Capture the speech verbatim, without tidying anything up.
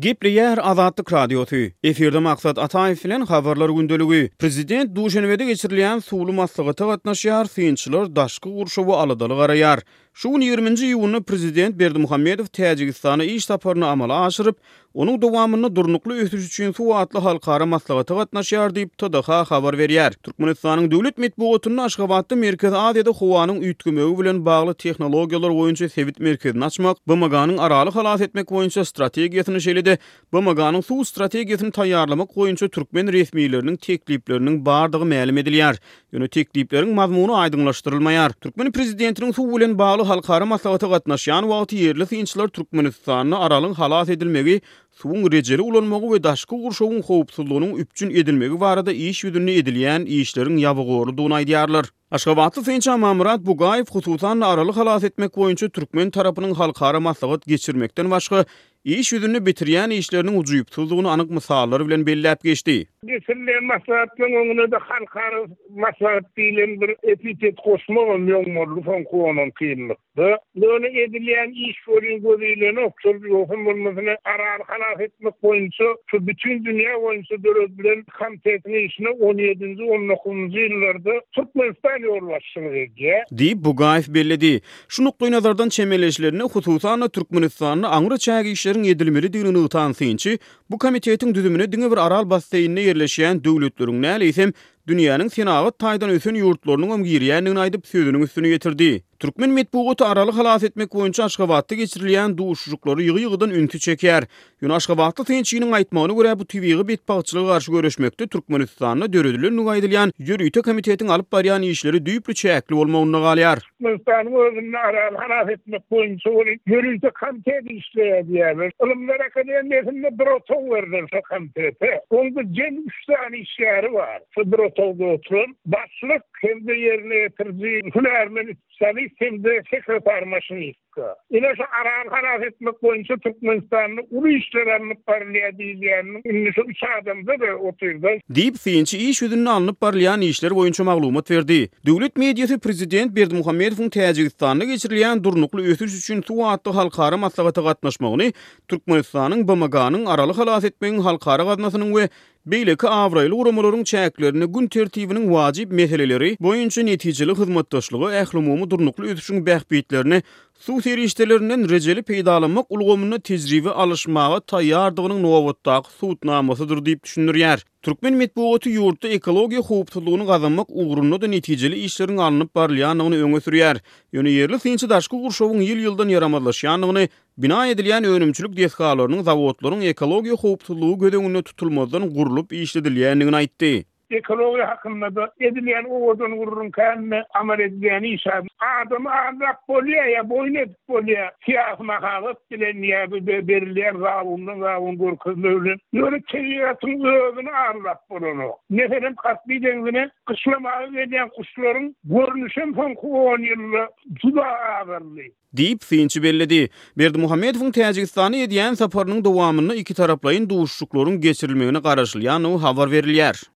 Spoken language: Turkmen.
Gepleýär Azatlyk Radiosy. Efirde Maksat Ataýew bilen Habarlar gündeligi. Prezident Duşenbede geçirilýän suwly maslahata gatnaşýar, synçylar daşky gurşawa aladaly garaýar. Şu gün ýigriminji iýunda prezident Berdimuhamedow Täjigistana iş saparyny amala aşyryp, onuň dowamynda Durnukly ösüş üçin suw atly halkara maslahata gatnaşýar diýip, T D H habar berýär. Türkmenistanyň döwlet metbugatynda Aşgabatda Merkezi Aziýada howanyň üýtgemegi bilen bagly tehnologiýalar boýunça sebit merkezini açmak, B M G-nyň Araly halas etmek boýunça strategiýasyny, şeýle-de B M G-nyň suw strategiýasyny taýýarlamak boýunça türkmen resmileriniň teklipleriniň bardygy mälim edilýär. Ýöne teklipleriň mazmuny aýdyňlaşdyrylmaýar. Türkmen prezidentiniň suw bilen bagly halkara maslahata gatnaşýan wagty ýerli synçylar Türkmenistanda Aralyň halas edilmegi, suwuň rejeli ulanmagy we daşky gurşawyň howpsuzlygynyň üpjün edilmegi barada iş ýüzünde edilýän işleriň ýabygorludygyny aýdýarlar. Aşgabatly synçy Amanmyrat Bugaýew hususan-da Araly halas etmek boýunça türkmen tarapynyň halkara maslahat geçirmekden başga iş ýüzünde bitirýän işleriniň ujypsyzdygyny anyk mysallar bilen belläp geçdi. Geçirilen maslahatlaryň öňüne de halkara maslahat diýlen bir epitet goşmagam ýoň boldy soňky on iki ýyllykda. Ýöne edilýän iş welin göz ilenok, şol ýogsam bolmasyna Araly halas etmek boýunça şu bütün dünýä boýunça döredilen komitetiň işine on ýedinji, on dokuzynjy ýyllarda Türkmenistan ýolbaşçylyk edýär. Diýip Bugaýew belledi. Şu nukdaý nazardan çemeleşilerine hususan-da Türkmenistanda aňry çäk işleriň edilmelidigini nygtan synçy, bu komitetiň düzümine diňe bir Aral basseýninde ýerleşýän döwletleriň näle eýsem dünýäniň senagat taýdan ösen ýurtlarynyň hem girýändigini aýdyp sözüniň üstüne ýetirdi. Türkmen metbugaty Araly halas etmek boýunça Aşgabatda geçirilýän duşuşyklary ýygy-ýygydan ünsi çeker. Ýöne Aşgabatly synçynyň aýtmagyna görä bu tebigy betbagtçylyga garşy göreşmekde Türkmenistanda döredilendigi aýdylýan ýörite komitetiň alyp barýan işleri düýpli çäkli bolmagynda galýar. Türkmenistanyň özünde Araly halas etmek boýunça ýörite komitet işleýär diýýärler. Ylymlar akademiýasynda bir otag berdiler şo komitete. Onda jem üç sany işgäri bar. Şo bir otagda oturan başlyk hem-de ýerine ýetiriji hünärmen spesialist hem-de sekretar maşinistka. Ine şu Araly halas etmek boýunça Türkmenistanda uly işler alnyp barylýar diýilýäniniň indi şu üç adamda da otyrda. Diýip synçy iş ýüzünde alnyp barylýan işler boýunça maglumat berdi. Döwlet mediasy prezident Berdimuhamedowyň Täjigistanda geçirilýän durnukly ösüş üçin suw atly halkara maslahata gatnaşmagyny Türkmenistanyň B M G-nyň Araly halas etmegiň halkara gaznasynyň we beýleki abraýly guramalaryň çäklerinde gün tertibiniň wajyp meseleleri boýunça netijeli hyzmatdaşlyga ählumumy durnukly ösüşiň bähbitlerini suw serişdelerinden rejeli peýdalanmak ulgamynda tejribe alyşmaga taýýardygynyň nobatdaky subutnamasydyr diýip düşündirýär. Türkmen metbugaty ýurtda ekologiýa howpsuzlygyny gazanmak ugrunda da netijeli işleriň alnyp barylýandygyny öňe sürýär. Ýöne ýerli synçy daşky gurşawyň ýyl-ýyldan ýaramazlaşýandygyny, bina edilýän önümçilik desgalarynyň, zawodlaryň ekologiýa howpsuzlygy göz öňünde tutulmazdan gurlup işledilýändigini aýtdy. Ekologiýa hakynda da edilýän owadan gurrun känme amal edilýän iş adamy aldap bolýar ýa boýun edip bolýar. Syýasy mahabat bilen ýa berilýän zabundan zabun görkezme bilen. Ýöne tebigatyň özüni aldap bolanok. Meselem, Kaspi deňzine gyşlamaga gelýän guşlaryň görnüşem soňky on ýylda juda azaldy. Diýip synçy belledi. Berdimuhamedowyň Täjigistana edýän saparynyň dowamynda iki taraplaýyn duşuşyklaryň geçirilmegine garaşylýandygy habar berilýär.